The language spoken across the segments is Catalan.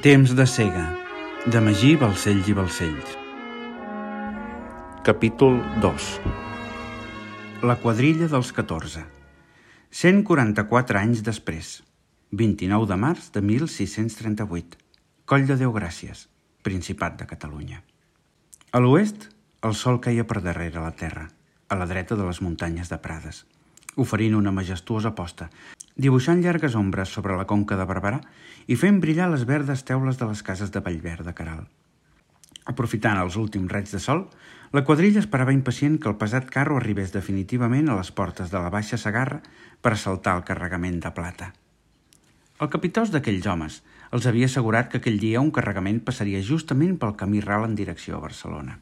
Temps de cega, de Magí Balcells i Balcells. Capítol 2. La quadrilla dels 14. 144 anys després. 29 de març de 1638. Coll de Déu Gràcies, Principat de Catalunya. A l'oest, el sol caia per darrere la terra, a la dreta de les muntanyes de Prades, oferint una majestuosa posta, dibuixant llargues ombres sobre la conca de Barberà i fent brillar les verdes teules de les cases de Vallver de Queralt. Aprofitant els últims raigs de sol, la quadrilla esperava impacient que el pesat carro arribés definitivament a les portes de la Baixa Segarra per assaltar el carregament de plata. El capitós d'aquells homes els havia assegurat que aquell dia un carregament passaria justament pel camí ral en direcció a Barcelona.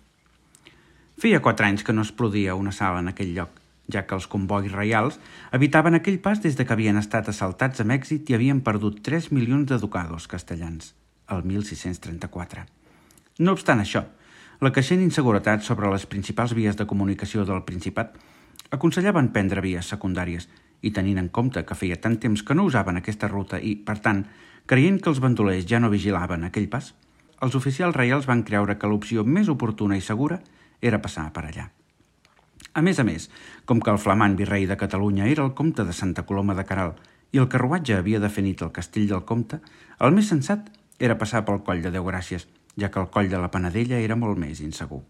Feia 4 anys que no es produïa una sala en aquell lloc, ja que els convois reials habitaven aquell pas des de que havien estat assaltats amb èxit i havien perdut 3 milions de ducados castellans, el 1634. No obstant això, la creixent inseguretat sobre les principals vies de comunicació del Principat aconsellaven prendre vies secundàries i tenint en compte que feia tant temps que no usaven aquesta ruta i, per tant, creient que els bandolers ja no vigilaven aquell pas, els oficials reials van creure que l'opció més oportuna i segura era passar per allà. A més, com que el flamant virrei de Catalunya era el comte de Santa Coloma de Queralt i el carruatge havia de fer nit al castell del comte, el més sensat era passar pel coll de Déu Gràcies, ja que el coll de la Panadella era molt més insegur.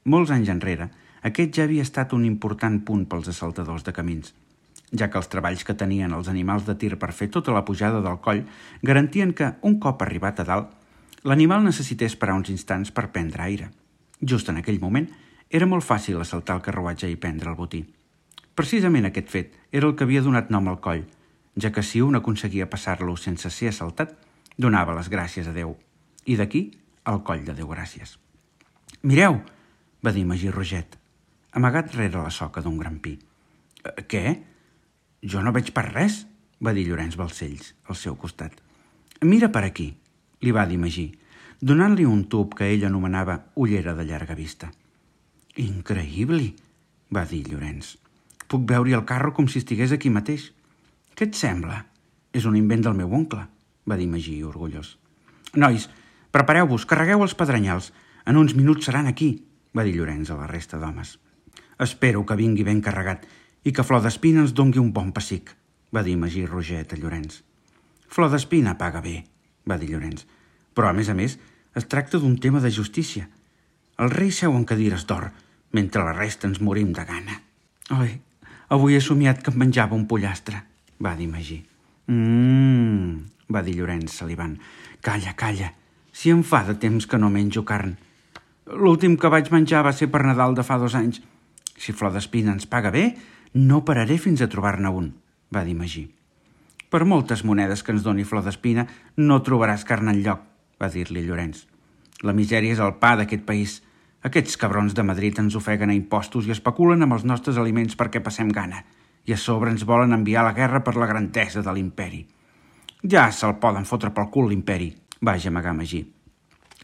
Molts anys enrere, aquest ja havia estat un important punt pels assaltadors de camins, ja que els treballs que tenien els animals de tir per fer tota la pujada del coll garantien que, un cop arribat a dalt, l'animal necessités parar uns instants per prendre aire. Just en aquell moment, era molt fàcil assaltar el carruatge i prendre el botí. Precisament aquest fet era el que havia donat nom al coll, ja que si un aconseguia passar-lo sense ser assaltat, donava les gràcies a Déu. I d'aquí, el coll de Déu Gràcies. «Mireu!», va dir Magí Roget, amagat rere la soca d'un gran pi. «Què? Jo no veig per res», va dir Llorenç Balcells, al seu costat. «Mira per aquí», li va dir Magí, donant-li un tub que ell anomenava ullera de llarga vista. «Increïble», va dir Llorenç. «Puc veure el carro com si estigués aquí mateix». «Què et sembla?» «És un invent del meu oncle», va dir Magí, orgullós. «Nois, prepareu-vos, carregueu els pedrenyals. En uns minuts seran aquí», va dir Llorenç a la resta d'homes. «Espero que vingui ben carregat i que Flor d'Espina ens dongui un bon pessic», va dir Magí Roget a Llorenç. «Flor d'Espina paga bé», va dir Llorenç, «però a més, es tracta d'un tema de justícia. El rei seu en cadires d'or, mentre la resta ens morim de gana». «Oi, avui he somiat que em menjava un pollastre», va dir Magí. Va dir Llorenç, salivant. «Calla, si em fa de temps que no menjo carn. L'últim que vaig menjar va ser per Nadal de fa 2 anys. Si Flor d'Espina ens paga bé, no pararé fins a trobar-ne un», va dir Magí. «Per moltes monedes que ens doni Flor d'Espina, no trobaràs carn enlloc», va dir-li Llorenç. «La misèria és el pa d'aquest país. Aquests cabrons de Madrid ens ofeguen a impostos i especulen amb els nostres aliments perquè passem gana, i a sobre ens volen enviar a la guerra per la grandesa de l'imperi. Ja se'l poden fotre pel cul l'imperi», va gemegar Magí.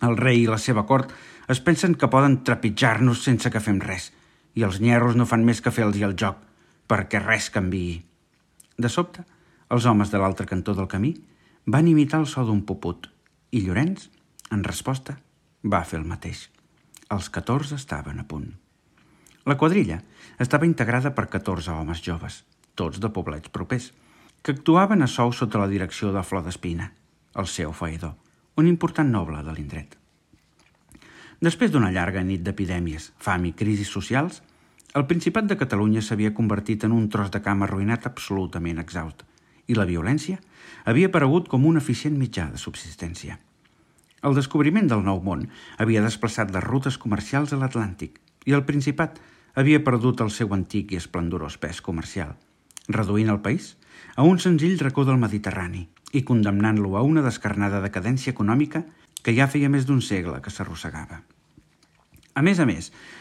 «El rei i la seva cort es pensen que poden trepitjar-nos sense que fem res, i els nyerros no fan més que fer-los el joc, perquè res canviï». De sobte, els homes de l'altre cantó del camí van imitar el so d'un puput, i Llorenç, en resposta, va fer el mateix. Els 14 estaven a punt. La quadrilla estava integrada per 14 homes joves, tots de poblets propers, que actuaven a sou sota la direcció de Flor d'Espina, el seu faedor, un important noble de l'indret. Després d'una llarga nit d'epidèmies, fam i crisis socials, el Principat de Catalunya s'havia convertit en un tros de camp arruïnat absolutament exhaust, i la violència havia aparegut com un eficient mitjà de subsistència. El descobriment del Nou Món havia desplaçat les rutes comercials a l'Atlàntic i el Principat havia perdut el seu antic i esplendorós pes comercial, reduint el país a un senzill racó del Mediterrani i condemnant-lo a una descarnada decadència econòmica que ja feia més d'un segle que s'arrossegava. A més,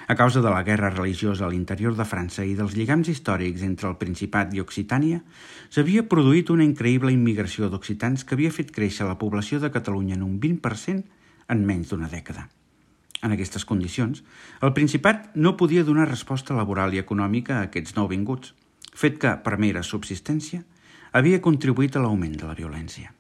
a causa de la guerra religiosa a l'interior de França i dels lligams històrics entre el Principat i Occitània, s'havia produït una increïble immigració d'occitans que havia fet créixer la població de Catalunya en un 20% en menys d'una dècada. En aquestes condicions, el Principat no podia donar resposta laboral i econòmica a aquests nouvinguts, fet que, per mera subsistència, havia contribuït a l'augment de la violència.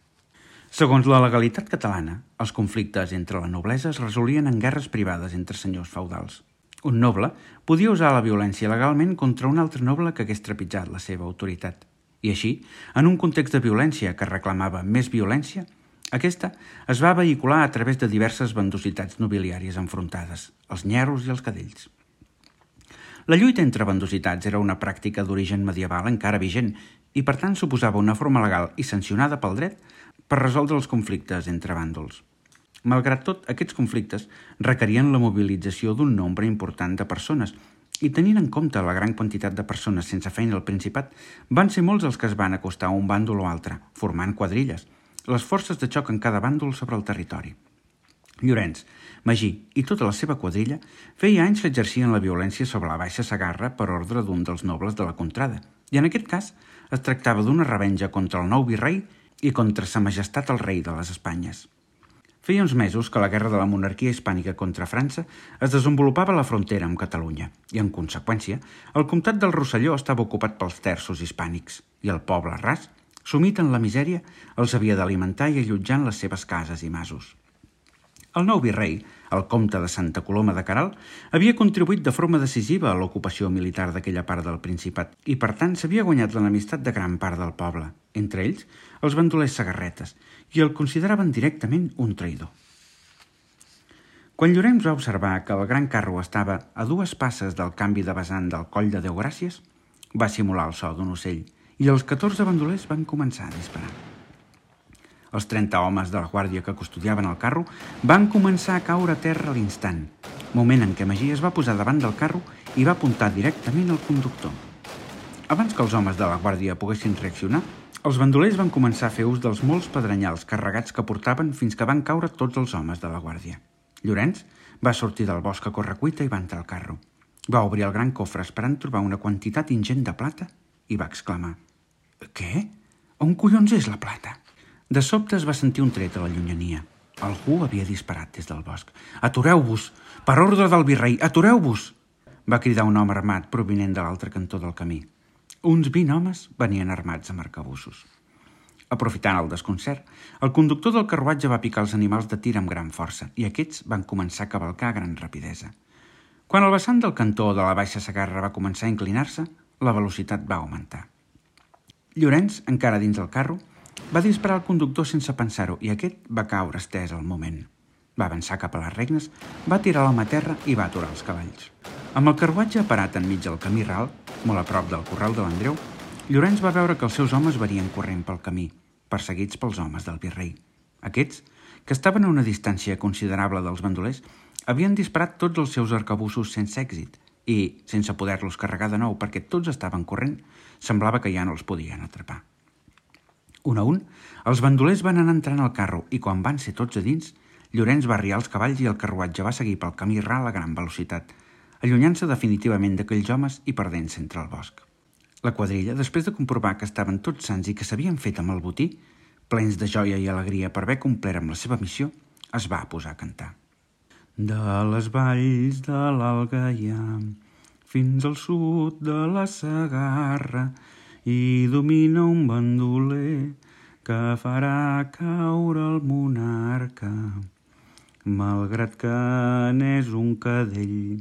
Segons la legalitat catalana, els conflictes entre la noblesa es resolien en guerres privades entre senyors feudals. Un noble podia usar la violència legalment contra un altre noble que hagués trepitjat la seva autoritat. I així, en un context de violència que reclamava més violència, aquesta es va vehicular a través de diverses bandositats nobiliàries enfrontades, els nyerros i els cadells. La lluita entre bandositats era una pràctica d'origen medieval encara vigent i, per tant, suposava una forma legal i sancionada pel dret per resoldre els conflictes entre bàndols. Malgrat tot, aquests conflictes requerien la mobilització d'un nombre important de persones i, tenint en compte la gran quantitat de persones sense feina al Principat, van ser molts els que es van acostar a un bàndol o altre, formant quadrilles, les forces de xoc en cada bàndol sobre el territori. Llorenç, Magí i tota la seva quadrilla feia anys que exercien la violència sobre la Baixa Segarra per ordre d'un dels nobles de la contrada, i en aquest cas es tractava d'una revenja contra el nou virrei i contra sa majestat el rei de les Espanyes. Feia uns mesos que la guerra de la monarquia hispànica contra França es desenvolupava a la frontera amb Catalunya i, en conseqüència, el comtat del Rosselló estava ocupat pels terços hispànics i el poble ras, sumit en la misèria, els havia d'alimentar i allotjar en les seves cases i masos. El nou virrei, el comte de Santa Coloma de Queralt, havia contribuït de forma decisiva a l'ocupació militar d'aquella part del Principat i, per tant, s'havia guanyat l'enemistat de gran part del poble, entre ells els bandolers segarretes, i el consideraven directament un traïdor. Quan Llorenç va observar que el gran carro estava a 2 passes del canvi de vessant del coll de Déugràcies, va simular el so d'un ocell i els 14 bandolers van començar a disparar. Els 30 homes de la guàrdia que custodiaven el carro van començar a caure a terra a l'instant, moment en què Magí es va posar davant del carro i va apuntar directament al conductor. Abans que els homes de la guàrdia poguessin reaccionar, els bandolers van començar a fer ús dels molts pedrenyals carregats que portaven fins que van caure tots els homes de la guàrdia. Llorenç va sortir del bosc a correcuita i va entrar al carro. Va obrir el gran cofre esperant trobar una quantitat ingent de plata i va exclamar: «Què? On collons és la plata?» De sobte es va sentir un tret a la llunyania. Algú havia disparat des del bosc. «Atureu-vos! Per ordre del virrei, atureu-vos!» va cridar un home armat provinent de l'altre cantó del camí. Uns 20 homes venien armats amb arcabussos. Aprofitant el desconcert, el conductor del carruatge va picar els animals de tir amb gran força i aquests van començar a cavalcar a gran rapidesa. Quan el vessant del cantó de la Baixa Segarra va començar a inclinar-se, la velocitat va augmentar. Llorenç, encara dins del carro, va disparar al conductor sense pensar-ho i aquest va caure estès al moment. Va avançar cap a les regnes, va tirar l'home a terra i va aturar els cavalls. Amb el carruatge parat enmig del camí ral, molt a prop del corral de l'Andreu, Llorenç va veure que els seus homes venien corrent pel camí, perseguits pels homes del virrei. Aquests, que estaven a una distància considerable dels bandolers, havien disparat tots els seus arcabussos sense èxit i, sense poder-los carregar de nou perquè tots estaven corrent, semblava que ja no els podien atrapar. Un a un, els bandolers van anar entrant al carro i quan van ser tots a dins, Llorenç va arriar els cavalls i el carruatge va seguir pel camí ral a gran velocitat, allunyant-se definitivament d'aquells homes i perdent-se entre el bosc. La quadrilla, després de comprovar que estaven tots sants i que s'havien fet amb el botí, plens de joia i alegria per haver complert amb la seva missió, es va posar a cantar. De les valls de l'Algaià fins al sud de la Segarra hi domina un bandoler que farà caure el monarca. Malgrat que n'és un cadell,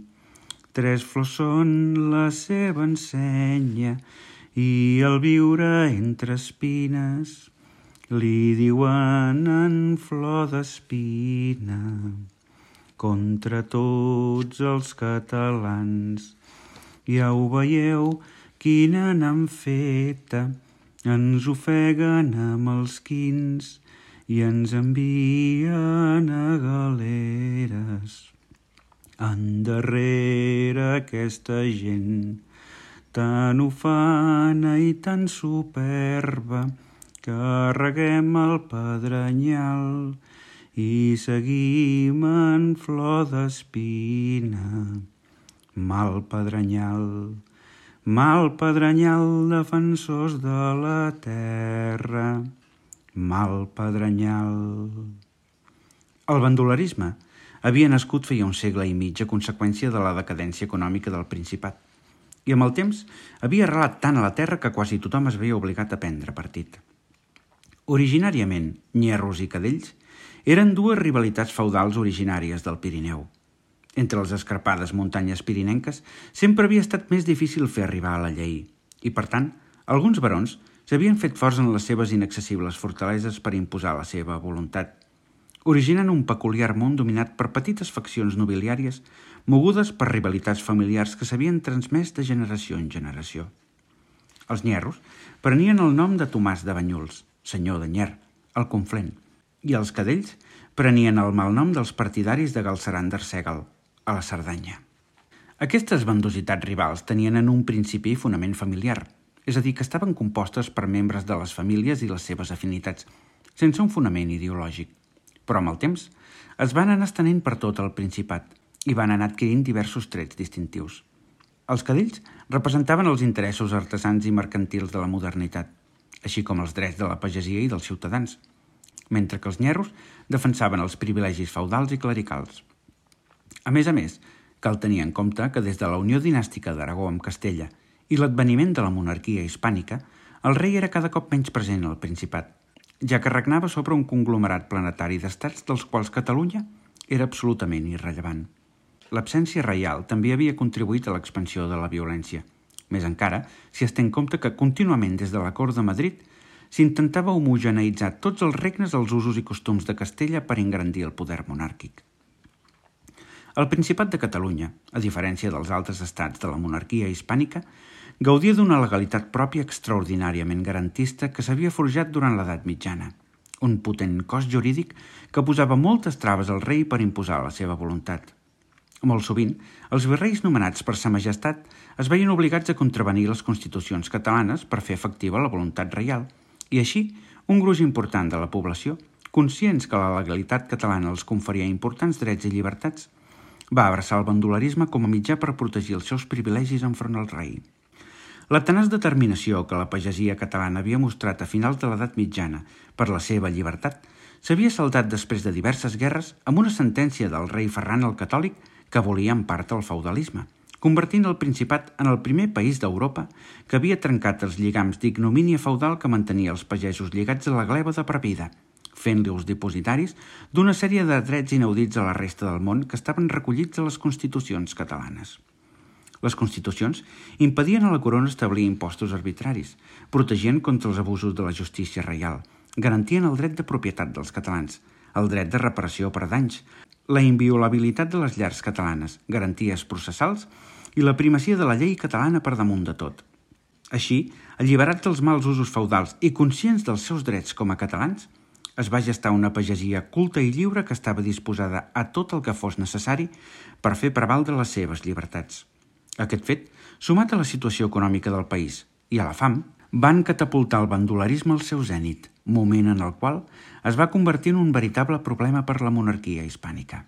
3 flors són la seva ensenya i al viure entre espines li diuen en flor d'espina. Contra tots els catalans ja ho veieu quina n'han feta, ens ofeguen amb els quins i ens envien a galeres. Endarrere aquesta gent tan ufana i tan superba carreguem el pedrenyal i seguim en flor d'espina. Mal pedrenyal, defensors de la terra, mal pedrenyal. El bandolerisme havia nascut feia un segle i mig a conseqüència de la decadència econòmica del Principat i amb el temps havia arrelat tant a la terra que quasi tothom es veia obligat a prendre partit. Originàriament, nyerros i cadells eren dues rivalitats feudals originàries del Pirineu. Entre les escarpades muntanyes pirinenques sempre havia estat més difícil fer arribar a la llei i, per tant, alguns barons s'havien fet forts en les seves inaccessibles fortaleses per imposar la seva voluntat, originant un peculiar món dominat per petites faccions nobiliàries mogudes per rivalitats familiars que s'havien transmès de generació en generació. Els nyerros prenien el nom de Tomàs de Banyuls, senyor de Nyer, al Conflent, i els cadells prenien el malnom dels partidaris de Galceran d'Arsègal, a la Cerdanya. Aquestes bandositats rivals tenien en un principi fonament familiar, és a dir, que estaven compostes per membres de les famílies i les seves afinitats, sense un fonament ideològic. Però amb el temps es van anar estenent per tot el Principat i van anar adquirint diversos trets distintius. Els cadells representaven els interessos artesans i mercantils de la modernitat, així com els drets de la pagesia i dels ciutadans, mentre que els nyerros defensaven els privilegis feudals i clericals. A més, cal tenir en compte que des de la unió dinàstica d'Aragó amb Castella i l'adveniment de la monarquia hispànica, el rei era cada cop menys present al Principat, ja que regnava sobre un conglomerat planetari d'estats dels quals Catalunya era absolutament irrellevant. L'absència reial també havia contribuït a l'expansió de la violència, més encara si es té en compte que contínuament des de la cort de Madrid s'intentava homogeneïtzar tots els regnes als usos i costums de Castella per engrandir el poder monàrquic. El Principat de Catalunya, a diferència dels altres estats de la monarquia hispànica, gaudia d'una legalitat pròpia extraordinàriament garantista que s'havia forjat durant l'edat mitjana, un potent cos jurídic que posava moltes traves al rei per imposar la seva voluntat. Molt sovint, els virreis nomenats per sa majestat es veien obligats a contravenir les constitucions catalanes per fer efectiva la voluntat reial, i així un gruix important de la població, conscients que la legalitat catalana els conferia importants drets i llibertats, va abraçar el bandolerisme com a mitjà per protegir els seus privilegis enfront al rei. La tenaç determinació que la pagesia catalana havia mostrat a finals de l'edat mitjana per la seva llibertat s'havia saldat després de diverses guerres amb una sentència del rei Ferran el Catòlic que volia en part el feudalisme, convertint el Principat en el primer país d'Europa que havia trencat els lligams d'ignomínia feudal que mantenia els pagesos lligats a la gleba de per vida, fent-los dipositaris d'una sèrie de drets inaudits a la resta del món que estaven recollits a les constitucions catalanes. Les constitucions impedien a la corona establir impostos arbitraris, protegien contra els abusos de la justícia reial, garantien el dret de propietat dels catalans, el dret de reparació per danys, la inviolabilitat de les llars catalanes, garanties processals i la primacia de la llei catalana per damunt de tot. Així, alliberats dels mals usos feudals i conscients dels seus drets com a catalans, es va gestar una pagesia culta i lliure que estava disposada a tot el que fos necessari per fer prevaldre les seves llibertats. Aquest fet, sumat a la situació econòmica del país i a la fam, van catapultar el bandolerisme al seu zènit, moment en el qual es va convertir en un veritable problema per la monarquia hispànica.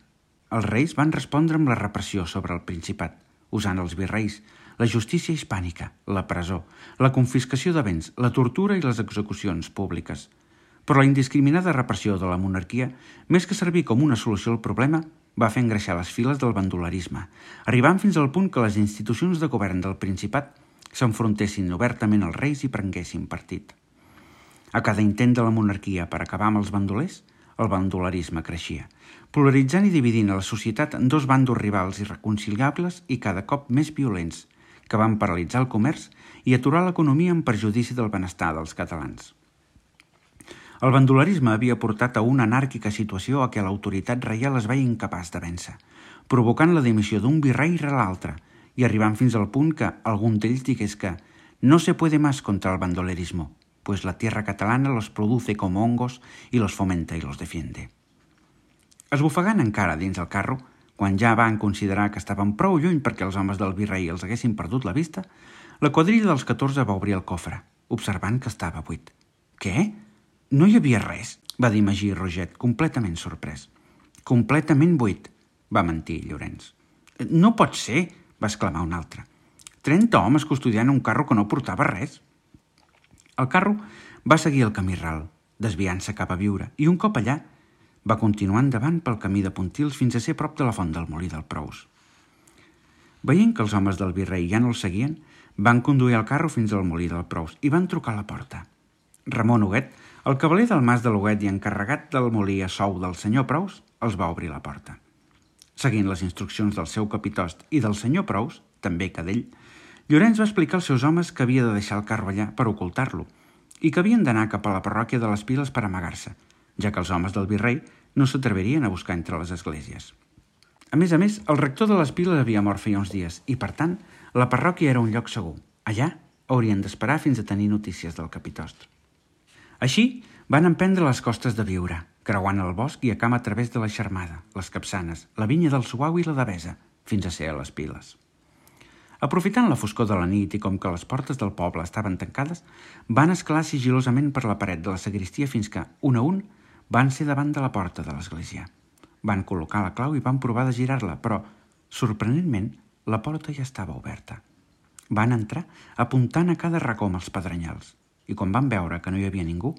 Els reis van respondre amb la repressió sobre el Principat, usant els virreis, la justícia hispànica, la presó, la confiscació de béns, la tortura i les execucions públiques. Però la indiscriminada repressió de la monarquia, més que servir com una solució al problema, va fer engreixar les files del bandolerisme, arribant fins al punt que les institucions de govern del Principat s'enfrontessin obertament als reis i prenguessin partit. A cada intent de la monarquia per acabar amb els bandolers, el bandolerisme creixia, polaritzant i dividint a la societat en dos bandos rivals irreconciliables i cada cop més violents, que van paralitzar el comerç i aturar l'economia en perjudici del benestar dels catalans. El bandolerisme havia portat a una anàrquica situació a què l'autoritat reial es veia incapaç de vèncer, provocant la dimissió d'un virrei rere l'altre i arribant fins al punt que algun d'ells digués que «no se puede más contra el bandolerismo, pues la tierra catalana los produce como hongos y los fomenta y los defiende». Esbufegant encara dins el carro, quan ja van considerar que estaven prou lluny perquè els homes del virrei els haguessin perdut la vista, la quadrilla dels 14 va obrir el cofre, observant que estava buit. «Què? No hi havia res», va dir Magí Roget, completament sorprès. «Completament buit», va mentir Llorenç. «No pot ser», va exclamar un altre. 30 homes custodiant un carro que no portava res. El carro va seguir el camí ral, desviant-se cap a Viure, i un cop allà va continuar endavant pel camí de Pontils fins a ser prop de la font del Molí del Prous. Veient que els homes del virrei ja no el seguien, van conduir el carro fins al Molí del Prous i van trucar a la porta. Ramon Huguet El cavaler del Mas de Loguet i encarregat del molí a sou del senyor Prous els va obrir la porta. Seguint les instruccions del seu capitost i del senyor Prous, també cadell, Llorenç va explicar als seus homes que havia de deixar el carro allà per ocultar-lo i que havien d'anar cap a la parròquia de les Piles per amagar-se, ja que els homes del virrei no s'atrevirien a buscar entre les esglésies. A més, el rector de les Piles havia mort feia uns dies i, per tant, la parròquia era un lloc segur. Allà haurien d'esperar fins a tenir notícies del capitost. Així, van emprendre les costes de Biure, creuant el bosc i a camp a través de la Xermada, les Capçanes, la Vinya del Suau i la Devesa, fins a ser a les Piles. Aprofitant la foscor de la nit i com que les portes del poble estaven tancades, van escalar sigilosament per la paret de la sagristia fins que, un a un, van ser davant de la porta de l'església. Van col·locar la clau i van provar de girar-la, però, sorprenentment, la porta ja estava oberta. Van entrar apuntant a cada racó amb els pedrenyals i quan van veure que no hi havia ningú,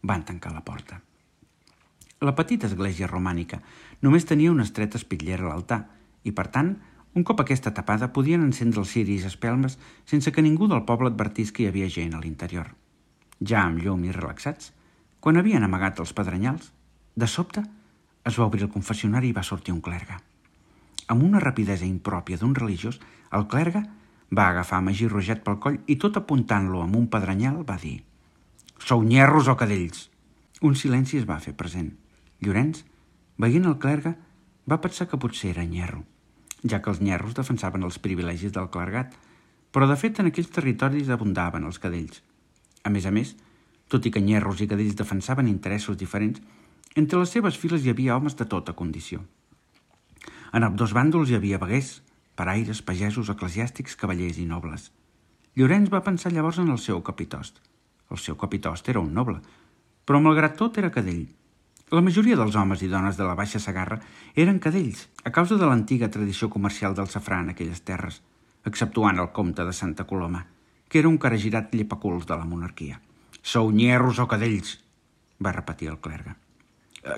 van tancar la porta. La petita església romànica només tenia una estreta espitllera a l'altar i, per tant, un cop aquesta tapada podien encendre els ciris espelmes sense que ningú del poble advertís que hi havia gent a l'interior. Ja amb llum i relaxats, quan havien amagat els pedrenyals, de sobte es va obrir el confessionari i va sortir un clergue. Amb una rapidesa impròpia d'un religiós, el clergue va agafar Magí Roget pel coll i tot apuntant-lo amb un pedrenyal va dir: «Sou nyerros o cadells?» Un silenci es va fer present. Llorenç, veient el clergue, va pensar que potser era nyerro, ja que els nyerros defensaven els privilegis del clergat, però de fet en aquells territoris abundaven els cadells. A més, tot i que nyerros i cadells defensaven interessos diferents, entre les seves files hi havia homes de tota condició. En ambdós bàndols hi havia veguers, paraires, pagesos, eclesiàstics, cavallers i nobles. Llorenç va pensar llavors en el seu capitost. El seu capitost era un noble, però malgrat tot era cadell. La majoria dels homes i dones de la Baixa Segarra eren cadells, a causa de l'antiga tradició comercial del safrà en aquelles terres, exceptuant el comte de Santa Coloma, que era un caragirat llepaculs de la monarquia. «Sou nyerros o cadells?» va repetir el clergue.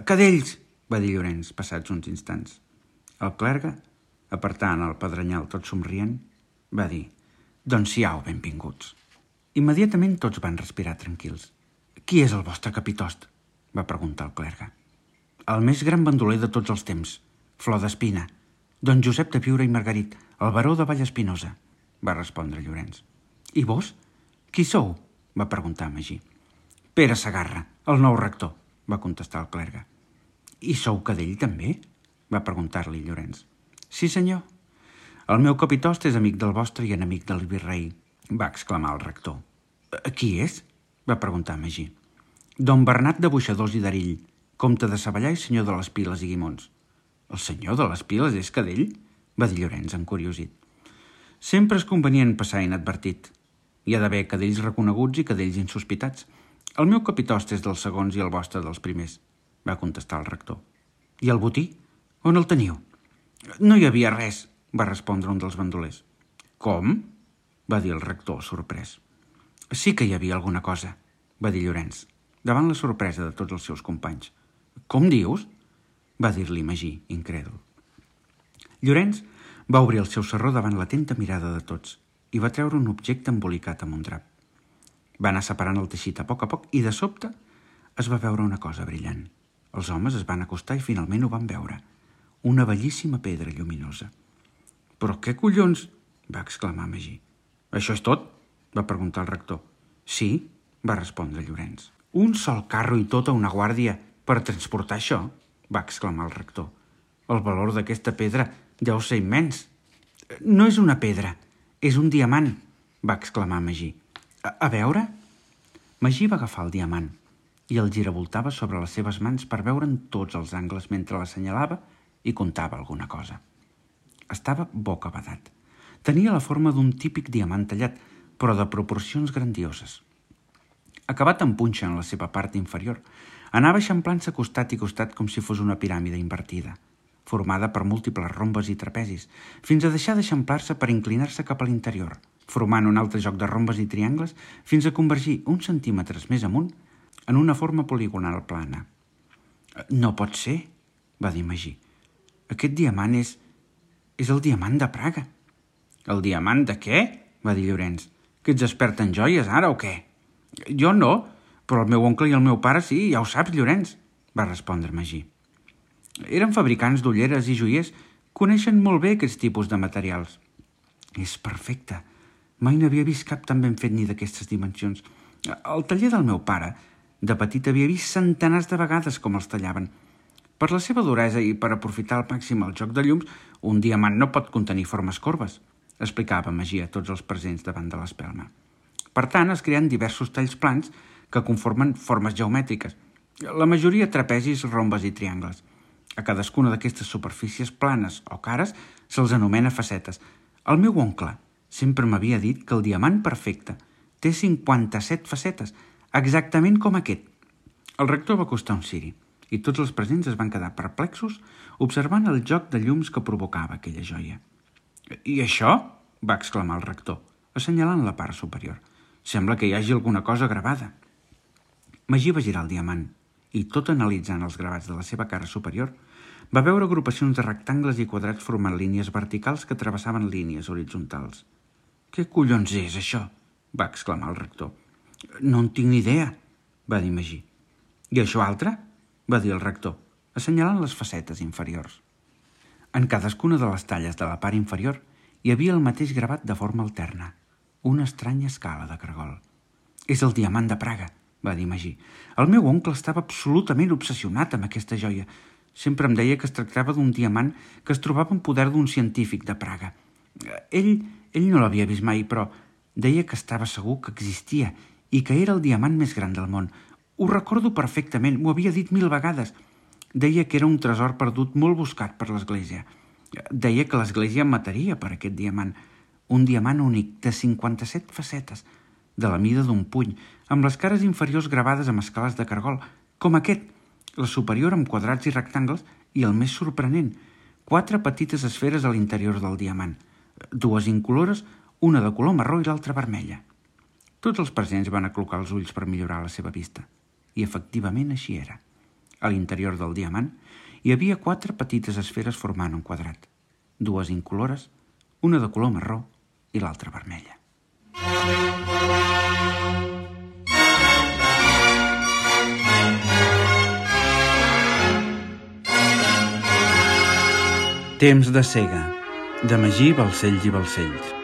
«Cadells!» va dir Llorenç, passats uns instants. El clergue, apartant el pedrenyal tot somrient, va dir: «Doncs siau benvinguts». Immediatament tots van respirar tranquils. «Qui és el vostre capitost?», va preguntar el clergue. «El més gran bandoler de tots els temps, Flor d'Espina, don Josep de Biure i Margarit, el baró de Vallespinosa», va respondre Llorenç. «I vos? Qui sou?», va preguntar Magí. «Pere Segarra, el nou rector», va contestar el clergue. «I sou cadell també?», va preguntar-li Llorenç. «Sí, senyor. El meu capitost és amic del vostre i enemic del virrei», va exclamar el rector. «Qui és?», va preguntar Magí. «Don Bernat de Boixadors i d'Arill, comte de Savallà i senyor de les Piles i Guimons». «El senyor de les Piles és cadell?», va dir Llorenç, encuriosit. «Sempre és convenient passar inadvertit. Hi ha d'haver cadells reconeguts i cadells insospitats. El meu capitost és dels segons i el vostre dels primers», va contestar el rector. «I el botí? On el teniu?» «No hi havia res», va respondre un dels bandolers. «Com?», va dir el rector, sorprès. «Sí que hi havia alguna cosa», va dir Llorenç, davant la sorpresa de tots els seus companys. «Com dius?», va dir-li Magí, incrèdul. Llorenç va obrir el seu sarró davant l'atenta mirada de tots i va treure un objecte embolicat amb un drap. Va anar separant el teixit a poc i, de sobte, es va veure una cosa brillant. Els homes es van acostar i finalment ho van veure. Una bellíssima pedra lluminosa. «Però què collons?», va exclamar Magí. «Això és tot?», va preguntar el rector. «Sí», va respondre Llorenç. «Un sol carro i tota una guàrdia per transportar això?», va exclamar el rector. «El valor d'aquesta pedra deu ser immens». «No és una pedra, és un diamant», va exclamar Magí. A veure?» Magí va agafar el diamant i el giravoltava sobre les seves mans per veure'n tots els angles mentre l'assenyalava i contava alguna cosa. Estava bocabadat. Tenia la forma d'un típic diamant tallat, però de proporcions grandioses. Acabat en punxa en la seva part inferior, anava eixamplant-se costat i costat com si fos una piràmide invertida, formada per múltiples rombes i trapezis, fins a deixar d'eixamplar-se per inclinar-se cap a l'interior, formant un altre joc de rombes i triangles fins a convergir uns centímetres més amunt en una forma poligonal plana. «No pot ser», va dir Magí. «Aquest diamant és el diamant de Praga». «El diamant de què?», va dir Llorenç. «Que ets expert en joies ara o què?» «Jo no, Però el meu oncle i el meu pare sí, ja ho saps, Llorenç, va respondre Magí. Eren fabricants d'ulleres i joiers, coneixen molt bé aquests tipus de materials. És perfecte. Mai n'havia vist cap tan ben fet ni d'aquestes dimensions. Al taller del meu pare, de petit havia vist centenars de vegades com els tallaven. Per la seva duresa i per aprofitar al màxim el joc de llums, un diamant no pot contenir formes corbes, explicava Magí a tots els presents davant de l'espelma. Per tant, es creen diversos talls plans que conformen formes geomètriques, la majoria trapezis, rombes i triangles. A cadascuna d'aquestes superfícies planes o cares se'ls anomena facetes. El meu oncle sempre m'havia dit que el diamant perfecte té 57 facetes, exactament com aquest. El rector va costar un ciri i tots els presents es van quedar perplexos observant el joc de llums que provocava aquella joia. «I això?» va exclamar el rector, assenyalant la part superior. «Sembla que hi hagi alguna cosa gravada». Magí va girar el diamant i, tot analitzant els gravats de la seva cara superior, va veure agrupacions de rectangles i quadrats formant línies verticals que travessaven línies horitzontals. «Què collons és, això?» va exclamar el rector. «No en tinc ni idea», va dir Magí. «I això altre?» va dir el rector, assenyalant les facetes inferiors. En cadascuna de les talles de la part inferior hi havia el mateix gravat de forma alterna, una estranya escala de cargol. «És el diamant de Praga», va dir Magí. «El meu oncle estava absolutament obsessionat amb aquesta joia. Sempre em deia que es tractava d'un diamant que es trobava en poder d'un científic de Praga. Ell no l'havia vist mai, però deia que estava segur que existia i que era el diamant més gran del món. Ho recordo perfectament, m'ho havia dit 1000 vegades. Deia que era un tresor perdut molt buscat per l'Església. Deia que l'Església em mataria per aquest diamant. Un diamant únic, de 57 facetes, de la mida d'un puny, amb les cares inferiors gravades amb escales de cargol, com aquest, la superior amb quadrats i rectangles, i el més sorprenent, 4 petites esferes a l'interior del diamant, 2 incolores, una de color marró i l'altra vermella. Tots els presents van aclocar els ulls per millorar la seva vista. I efectivament així era. A l'interior del diamant hi havia 4 petites esferes formant un quadrat, 2 incolores, una de color marró i l'altra vermella. Temps de cega, de Magí Balcells i Balcells.